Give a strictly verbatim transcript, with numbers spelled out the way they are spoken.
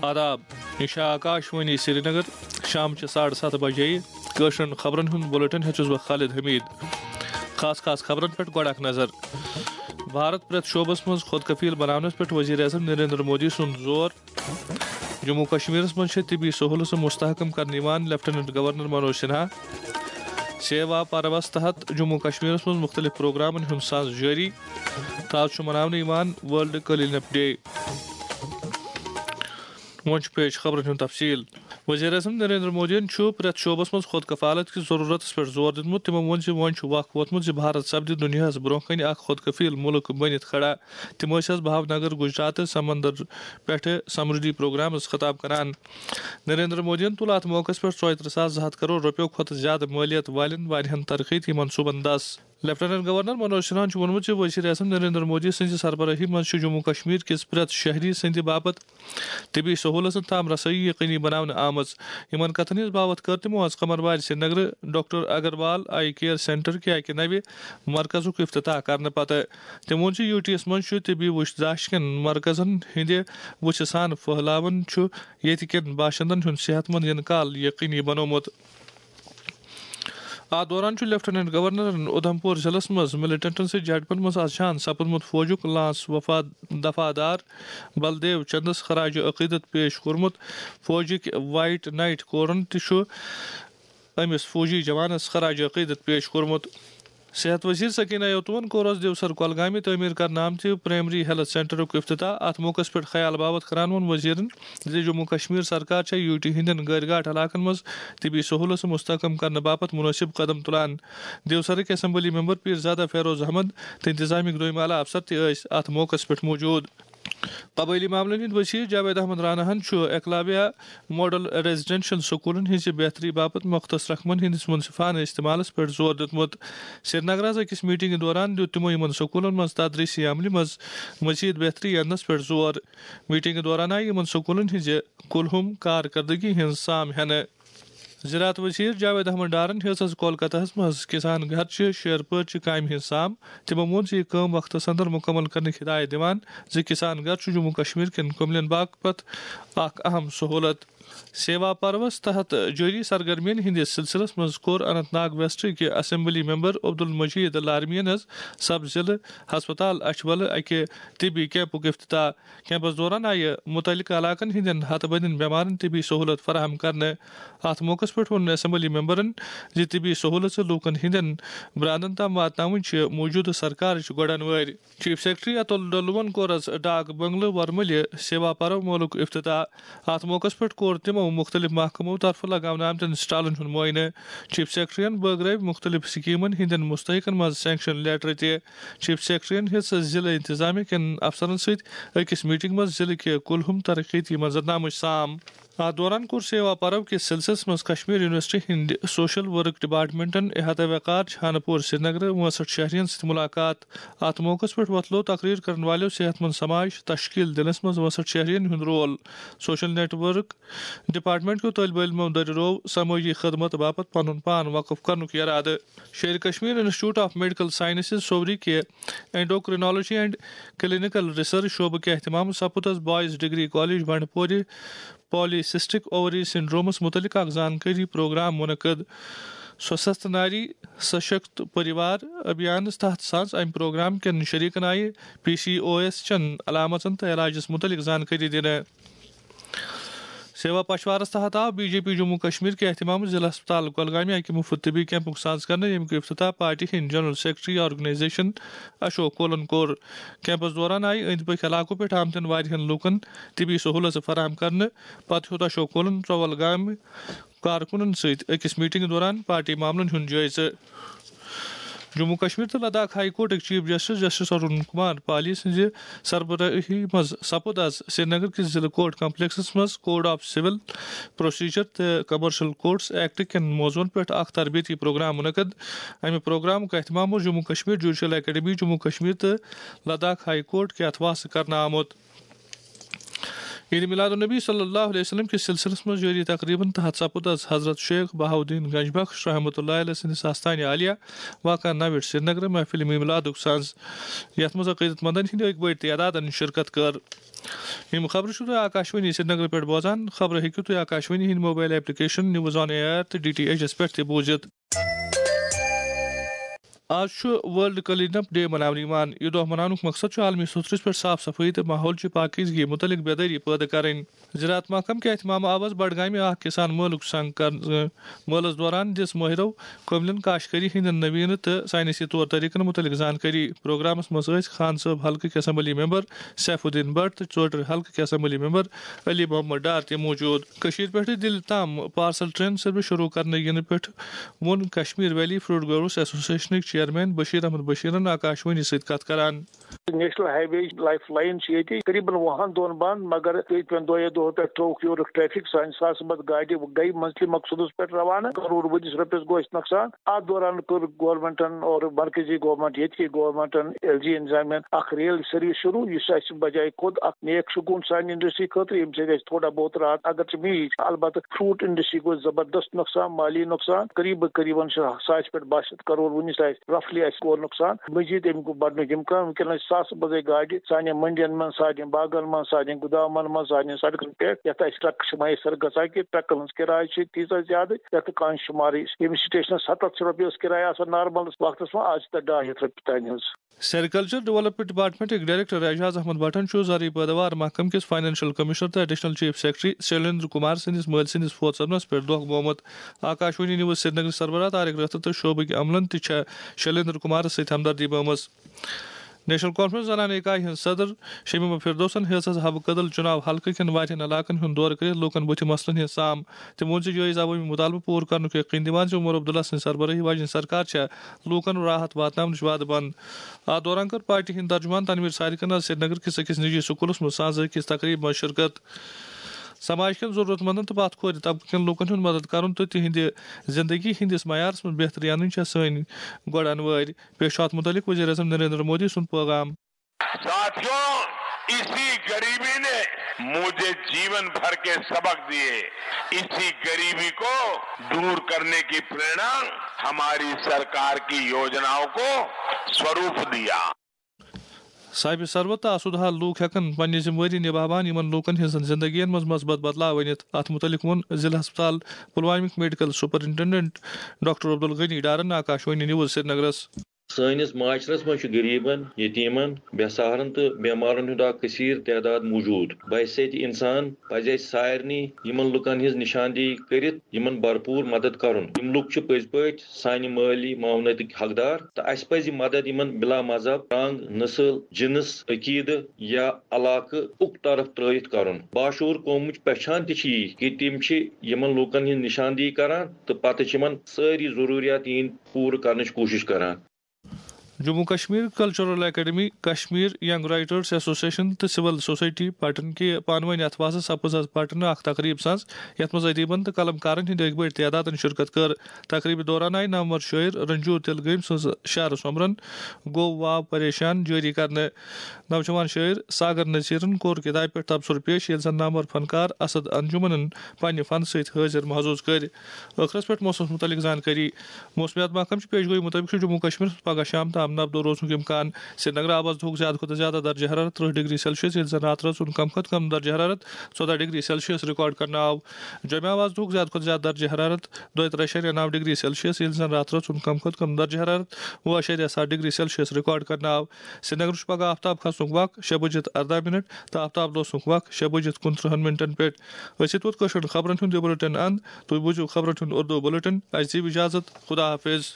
آداب، یہِ چھِ آکاش وانی سرینگر۔ شام چہِ ساڑٕ ستھ بجے کٲشرٮ۪ن خبرن ہُنٛد بُلٹن ہیوٚت چھُس بہٕ خالد حمید۔ خاص خاص خبرن پٮ۪ٹھ گۄڈٕ اکھ نظر۔ بھارت پرٛٮ۪تھ شعبس منٛز خود کفیل بناونس پٮ۪ٹھ وزیر اعظم نریندر مودی سُنٛد زور۔ جموں کشمیرس منٛز چھِ طبی سہولژٕ مستحکم کرنہٕ یِوان، لیفٹیننٹ گورنر منوج سنہا۔ سیوا پروس تحت جموں کشمیرس منٛز مختلف پروگرامن ہُنٛد ساز جٲری۔ تہٕ آز چھُ مناونہٕ یِوان ورلڈ کلین اپ ڈے۔ وۄنۍ چھُ پیش خبرن ہُنٛد تفصیل۔ وزیر اعظم نریندر مودیَن چھُ پرٛٮ۪تھ شعبس منٛز خود کفالت کِس ضروٗرتس پٮ۪ٹھ زور دیُتمُت۔ تِمو ووٚن زِ وۄنۍ چھُ وق ووتمُت زِ بھارت سپدِ دُنیاہس برٛونٛہہ کنہِ اکھ خود کفیل مُلک بٔنِتھ کھڑا۔ تِم ٲسۍ از بھاونگر، گجرات سمندر پٮ۪ٹھٕ سمردھی پروگرامس خطاب کران۔ نریندر مودیَن تُل اتھ موقعس پٮ۪ٹھ ژۄیہِ ترٕٛہ ساس زٕ ہتھ کرور رۄپیو کھۄتہٕ زیادٕ مٲلیت والٮ۪ن واریاہن ترقیتی منصوبن دس۔ لیفٹیننٹ گورنر منوج سنہاہن چھُ ووٚنمُت زِ وزیر اعظم نریندر مودی سٕنٛزِ سربراہی منٛز چھُ جموں کشمیر کِس پرٛٮ۪تھ شہری سٕنٛدِ باپتھ طبی سہولژن تام رسٲیی یقینی بناونہٕ آمٕژ۔ یِمن کتھن ہٕنٛز باوتھ کٔر تِمو از قمروارِ سرینگرٕ doctor Agarwal I care centre کہِ اکہِ نوِ مرکزُک افتتاح کرنہٕ پتہٕ۔ تٔمۍ ووٚن زِ یو ٹی یَس منٛز چھُ طبی وُچھ داشت کٮ۪ن مرکزن ہٕنٛدِ وُژھِ سان پھٔہلاون چھُ ییٚتہِ کٮ۪ن باشندن ہُنٛد صحت مند یِنہٕ کال یقینی بنوومُت۔ اتھ دوران چھُ لیفٹیننٹ گورنرن اُدھمپور ضلعس منٛز ملیٹنٹن سۭتۍ جھڑپن منٛز از شہید سپُدمُت فوجُک لانس وفا-، دفاع دار بلدیو چندس خراج عقیدت پیش کوٚرمُت۔ فوجٕکۍ وائٹ نائٹ کورن تہِ چھُ أمِس فوجی جوانس خراج عقیدت پیش کوٚرمُت۔ صحت وزیر سکینہ یوتون کوٚر از دیوسر کۄلگامہِ تعمیٖر کرنہٕ آمتہِ پرائمری ہیلتھ سینٹرُک افتتاح۔ اتھ موقعس پٮ۪ٹھ خیال باوتھ کران ووٚن وزیرن زِ جموں کشمیر سرکار چھےٚ یو ٹی ہٕنٛدٮ۪ن غٲرۍ گاٹھ علاقن منٛز طبی سہولژٕ مستحکم کرنہٕ باپتھ مناسب قدم تُلان۔ دیوسرٕکۍ اسمبلی ممبر پیرزادہ فیروز احمد تہٕ انتظامیہٕکۍ دوٚیمہِ اعلیٰ افسر تہِ ٲسۍ اتھ موقعس پٮ۪ٹھ موجود۔ قبٲئلی معاملن ہٕنٛدۍ وزیر جاوید احمد راناہن چھُ ایکلویہ ماڈل ریزیڈنشل سکولن ہٕنٛزِ بہتری باپتھ مختص رقمن ہٕنٛدِس منصفانہٕ استعمالس پٮ۪ٹھ زور دیُتمُت۔ سرینگرٕ از أکِس میٹنگہِ دوران دیُت تِمو یِمن سکولن منٛز تدریسی عملہِ منٛز مزید بہتری اننس پٮ۪ٹھ زور۔ میٹنگہِ دوران آیہِ یِمن سکولن ہٕنٛزِ کُلہُم کارکردگی ہٕنٛز سام ہٮ۪نہٕ۔ زراعت وزیر جاوید احمد ڈارن ہیٚژ از کولکتہس منٛز کسان گھر چہِ شیر پٲر چہِ کامہِ ہٕنٛز سام۔ تِمو ووٚن زِ یہِ کٲم وقتس اندر مُکمل کرنٕچ ہدایت دِوان زِ کسان گھر چھُ جموں کشمیر کٮ۪ن کُملٮ۪ن باپتھ اکھ اہم سہولت۔ سیوا پروس تحت جٲری سرگرمین ہٕنٛدِس سلسلس منٛز کوٚر اننت ناگ ویسٹ کہِ اسمبلی ممبر عبدالمجید لارمین از سب ضلع ہسپتال اچھولہٕ اکہِ طبی کیمپُک افتتاح۔ کیمپس دوران آیہِ مُتعلقہٕ علاقن ہٕنٛدٮ۪ن ہتہٕ بٔدٮ۪ن بٮ۪مارن طبی سہولت فراہم کرنہٕ۔ اتھ موقعس پٮ۪ٹھ ووٚن اسمبلی ممبرن زِ طبی سہولژٕ لوٗکن ہٕنٛدٮ۪ن براندن تام واتناوٕنۍ چھِ موٗجوٗدٕ سرکارٕچ گۄڈن وٲرۍ۔ چیف سیکرٹری اتُل ڈلوَن کوٚر از ڈاک بنگلہٕ ورملہِ سیوا پرو مالُک افتتاح۔ اتھ موقعس پٮ۪ٹھ کوٚر تِمو مُختٔلِف محکمو طرفہٕ لگاونہٕ آمتٮ۪ن سٹالن ہُنٛد معائنہٕ۔ چیف سیکرٹریَن بٲگرٲوۍ مُختٔلِف سکیٖمن ہٕنٛدٮ۪ن مُستحقن منٛز سینکشن لیٹر تہِ۔ چیف سیکرٹریَن ہیٚژ ضلع انتظامیہ کٮ۪ن افسرن سۭتۍ أکِس میٹنگ منٛز ضلع کہِ کُلہُم ترقیتی منظرنامٕچ سام۔ اتھ دوران کوٚر سیوا پرو کِس سلسلس منٛز کشمیر یونیورسٹی ہٕنٛدِ سوشل ورک ڈپارٹمنٹن احاطہ وقار چھانہٕ پور سرینگرٕ وٲنٛسٹھ شہرین سۭتۍ مُلاقات۔ اتھ موقعس پٮ۪ٹھ وۄتلوو تقریر کرن والٮ۪و صحت مند سماج تشکیل دِنس منٛز وٲنٛسٹھ شہرین ہُنٛد role. Social network department کیو طٲلبہِ علمو دٔرِروو سمٲجی خدمت باپتھ پنُن پان وقف کرنُک ارادٕ۔ Sher-e Kashmir institute of medical sciences Soura کہِ اینڈوکرینالوجی اینڈ کلینیکل ریسرچ شعبہٕ کہِ اہتمام سپُد از بوائز ڈگری کالج بنڈپورِ پالی سسٹک اووری سنڈرومس متعلق اکھ زانکٲری پروگرام منعقد۔ سوستھ ناری سشکت پریوار ابھیانس تحت ساز امہِ پروگرام کٮ۪ن شریکن آیہِ پی سی او ایس چٮ۪ن علامژن تہٕ علاجس متعلق زانکٲری دِنہٕ۔ سیوا پچھوارس تحت آو B J P Jammu Kashmir کہِ اہتمام ضلع ہسپتال کۄلگامہِ اکہِ مفت طبی کیمپُک ساز کرنہٕ، ییٚمیُک افتتاح پارٹی ہٕنٛدۍ جنرل سیکرٹری آرگنائزیشن اشوک کولن کوٚر۔ کیمپس دوران آیہِ أنٛدۍ پٔکۍ علاقو پٮ۪ٹھ آمتٮ۪ن واریاہن لوٗکن طبی سہولژٕ فراہم کرنہٕ۔ پتہٕ ہیوٚت اشوک کولن ژۄول گامہِ کارکُنن سۭتۍ أکِس میٹنگ دوران پارٹی معاملن ہُنٛد جٲیزٕ۔ جموں کشمیر تہٕ لداخ ہائی کورٹٕکۍ chief justice justice Arun Kumar Palli سٕنٛزِ سربراہی منٛز سپُد از سرینگر کِس ضلع کورٹ کمپلیکسس منٛز کوڈ آف سول پروسیجر تہٕ کمرشل کورٹس ایکٹ کٮ۪ن موضوعن پٮ۪ٹھ اکھ تربیتی پروگرام منعقد۔ امہِ پروگرامُک اہتمام اوس جموں کشمیر جوڈیشل اکیڈمی جموں کشمیر تہٕ لداخ ہائی کورٹ کہِ اتھواسہٕ کرنہٕ آمُت۔ عید میلاد النبی صلی اللہ علیہ وسلم کِس سلسلس منٛز جٲری تقریبن تحت سپُد از حضرت شیخ بہاؤالدین گنج بخش رحمۃ اللہ علیہ سٕنٛدِس آستانہِ عالیہ واقع نوِٹ سرینگر محفل میلادُک سنز، یتھ منٛز عقیدت مندن ہٕنٛدِ اکہِ بٔڑۍ تعدادن شرکت کٔر۔ یِم خبرٕ چھِو تُہۍ آکاشوانی سرینگر پٮ۪ٹھ بوزان۔ خبرٕ ہیٚکِو تُہۍ آکاشوانی ہٕنٛدِ mobile application news on air تہٕ ڈی ٹی ایچ پٮ۪ٹھ تہِ بوٗزِتھ۔ آز چھُ ورلڈ کلین اپ ڈے مناونہٕ یِوان۔ یہِ دۄہ مناونُک مقصد چھُ عالمی سطحس پٮ۪ٹھ صاف صفٲیی تہٕ ماحول چہِ پاکیزگی مُتعلق بیدٲری پٲدٕ کرٕنۍ۔ زراعت محکمہٕ کہِ اہتمام آو آز بڈگامہِ اکھ کسان مٲلُک سنگ کرنہٕ۔ مٲلَس دوران دِژ مٲہرو کٔملٮ۪ن کاشتکٲری ہٕنٛدٮ۪ن نویٖنہٕ تہٕ ساینسی طور طریقن مُتعلق زانکٲری۔ پروگرامس منٛز ٲسۍ خان صٲب حلقہٕ کہِ assembly member Saifuddin Bhat تہٕ ژوٹر حلقہٕ کہِ اسمبلی ممبر علی محمد ڈار تہِ موجود۔ کٔشیٖرِ پٮ۪ٹھٕ دِلہِ تام پارسل ٹرین سٔروس شروع کرنہٕ یِنہٕ پٮ۪ٹھ ووٚن کشمیر ویلی فروٹ گروورز ایسوسیشنٕکۍ چیئرمین بشیر احمد بشیرن آکاشوانی سۭتۍ کتھ کران۔ National highway lifeline چھِ ییٚتہِ قریباً وُہن دۄہن بند، مگر ییٚتہِ پٮ۪ن دۄیو دۄہو پٮ۪ٹھ ترٛووُکھ یورُک ٹریفک۔ سانہِ ساسہٕ بد گاڑِ گٔیہِ منزلہِ مقصودس پٮ۪ٹھ روانہٕ، کرور ؤدِس رۄپیس گوٚو اَسہِ نۄقصان۔ اتھ دوران کٔر گورنمنٹن اور مرکزی گورنمنٹ، ییٚتہِ کی گورنمنٹن، ایل جی انتظامیہ اکھ ریل سروس شروع، یُس اَسہِ بجایہِ خود اکھ نیک شگون سانہِ انڈسٹری خٲطرٕ، ییٚمہِ سۭتۍ اَسہِ تھوڑا بہت راحت اگر چھِ میٖج۔ البتہ فروٹ انڈسٹری گوٚو زبردست نۄقصان، مالی نۄقصان۔ قریب قریباً چھُ ساسہِ پٮ۪ٹھ باہ شیٚتھ کرور، وُنہِ چھُ اَسہِ رفلی اَسہِ گوٚو نۄقصان۔ مزید اَمیُک بڑنُک امکان۔ وٕنکیٚنس چھِ ساسہٕ بٔزے گاڑِ سانٮ۪ن منڈین منٛز، سانٮ۪ن باغن منٛز، سانٮ۪ن گُدامن منٛز، سانٮ۪ن سڑکن پٮ۪ٹھ، یتھ اَسہِ ٹرک چھِ میسر گژھان کہِ ٹرکن ہٕنٛز کِراے چھِ تیٖژاہ زیادٕ، یتھ نہٕ کانٛہہ شُمارٕے۔ ییٚمہِ سٹیشنس ستتھ شیٚتھ رۄپیہِ ٲس کِراے آسان نارملس وقتس منٛز، آز چھِ تتھ ڈاے ہتھ رۄپیہِ تانۍ حظ۔ سیریکلچر ڈیولپمنٹ ڈپارٹمنٹٕکۍ ڈائریکٹر اعجاز احمد بٹن چھُ زرعی پیداوار محکمہٕ کِس فائنانشل کمیشنر تہٕ additional chief secretary Shailendra Kumar سٕنٛدِس مٲلۍ سٕنٛدِس فوت سپدنس پٮ۪ٹھ دۄکھ گوٚمُت۔ آکاشوانی نیوز سرینگر سربراہ طارق رٲتھر تہٕ شعبٕکۍ عملن تہِ چھےٚ شیلیندر کمارس سۭتۍ ہمدردی بٲومٕژ۔ نیشنل کانفرنس زنانہٕ اکایہِ ہٕنٛز صدر شمیمہ فردوسن ہیٚژ از حبہٕ کدل چُناو حلقہٕ کٮ۪ن واریاہن علاقن ہُنٛد دورٕ کٔرِتھ لوٗکن بُتھِ مسلن ہٕنٛز سام۔ تٔمۍ ووٚن زِ جٲیز عوٲمی مُطالبہٕ پوٗرٕ کرنُک یقین دِوان زِ عمر عبداللہ سٕنٛز سربرٲہی واجیٚنۍ سرکار چھےٚ لوٗکن راحت واتناونٕچ وعدٕ بنٛد۔ اتھ دوران کٔر پارٹی ہٕنٛدۍ ترجمان تنویر سارقن از سرینگر کِس أکِس نجی سکوٗلس منٛز سانزٕ أکِس تقریبہِ منٛز شرکت۔ سماج کٮ۪ن ضروٗرت مندن تہٕ پتھ کھورِ طبقہٕ کٮ۪ن لوٗکن ہُنٛد مدد کرُن تہٕ تِہنٛدِ زندگی ہٕنٛدِس معیارس منٛز بہتری انٕنۍ چھےٚ سٲنۍ گۄڈٕ انوٲرۍ۔ پیش چھُ اتھ مُتعلق وزیر اعظم نریندر مودی سُنٛد پیغام۔ ساتھیوں، اسی غریبی نے مجھے جیون بھر کے سبق دیے۔ اسی غریبی کو دور کرنے کی प्रेरणा हमारी सरकार की योजनाओं को स्वरूप दिया। صاحب ثروت تہٕ آسودٕ حال لوٗکھ ہٮ۪کن پننہِ ذمہٕ وٲری نباوان یِمن لوٗکن ہٕنٛزن زندگین منٛز مثبت بدلاو أنِتھ۔ اتھ مُتعلق ووٚن ضلع ہسپتال پلوامِک میڈیکل سپرنٹنڈنٹ ڈاکٹر عبدالغنی ڈارن آکاشوانی نیوز سرینگرس۔ سٲنِس معاشرس منٛز چھُ غریٖبن، یتیٖمن، بے سہارن تہٕ بیمارن ہُنٛد اکھ کثیر تعداد موجود۔ بحیثیت انسان پزِ اسہِ سارنٕے یِمن لُکن ہٕنٛز نشاندہی کٔرِتھ یِمن بھرپوٗر مدد کرُن۔ یِم لُکھ چھِ پٔزۍ پٲٹھۍ سانہِ مٲلی معاونتٕکۍ حقدار تہٕ اسہِ پزِ مدد یِمن بلا مذہب، رنگ، نسل، جنس، عقیدٕ یا علاقہٕ اُک طرف ترٲوِتھ کرُن۔ باشعوٗر قومٕچ پہچان تہِ چھِ یی کہِ تِم چھِ یِمن لوٗکن ہٕنٛز نشاندہی کران تہٕ پتہٕ چھِ یِمن سٲری ضروٗریات یِہنٛدۍ پوٗرٕ کرنٕچ کوٗشش کران۔ Jammu Kashmir cultural academy, Kashmir young writers association تہٕ سول سوسائٹی پٹن کہِ پانہٕ وٲنۍ اتھواسہٕ سپٕز از پٹنہٕ اکھ تقریب سنز، یتھ منٛز ادیبن تہٕ قلم کارن ہٕنٛدۍ اکہِ بٔڑۍ تعدادن شرکت کٔر۔ تقریبہِ دوران آیہِ نامور شٲعر رنجور تلگٲمۍ سٕنٛز شعرٕ سومبرن گوٚو واو پریشان جٲری کرنہٕ۔ نوجوان شٲعر ساگر نذیرن کوٚر کتابہِ پٮ۪ٹھ تبصرٕ پیش، ییٚلہِ زن نامور فنکار اسد انجمنن پننہِ فن سۭتۍ حٲضِر محظوظ کٔرۍ۔ ٲخرس پٮ۪ٹھ موسمس مُتعلق زانکٲری۔ موسمیات محکمہٕ چہِ پیش گویی مُطٲبِق چھُ جموں کشمیرس منٛز پگہہ شام تام نبدو روزنُک امکان۔ سرینگرٕ آو از دُہُک زیادٕ کھۄتہٕ زیادٕ درجہ حرارت ترٕٛہ ڈگری سیلسیس، ییٚلہِ زن راتہٕ رٲژ ہُنٛد کم کھۄتہٕ کم درجہ حرارت ژۄداہ ڈگری سیلسیس ریکارڈ کرنہٕ آو۔ جوٚمہِ آو از دُہُک زیادٕ کھۄتہٕ زیادٕ درجہ حرارت دۄیہِ ترٛےٚ اَشاریہ نَو ڈگری سیلسیس، ییٚلہِ زن راتہٕ رٲژ ہُنٛد کم کھۄتہٕ کم درجہ حرارت وُہ اَشاریہ ستھ ڈگری سیلسیس ریکارڈ کرنہٕ آو۔ سرینگرٕ چھُ پگہہ آفتاب کھسنُک وق شےٚ بجِتھ ارداہ منٹ تہٕ آفتاب لوسنُک وق شےٚ بجِتھ کُنترٕٛہن منٹن پٮ۪ٹھ۔ أسۍ یِتھ ووت کٲشرٮ۪ن خبرن ہُنٛد یہِ بُلٹن اند۔ تُہۍ بوٗزِو خبرن ہُنٛد اردو بُلٹن۔ اَسہِ دِیِو اجازت۔ خدا حافظ۔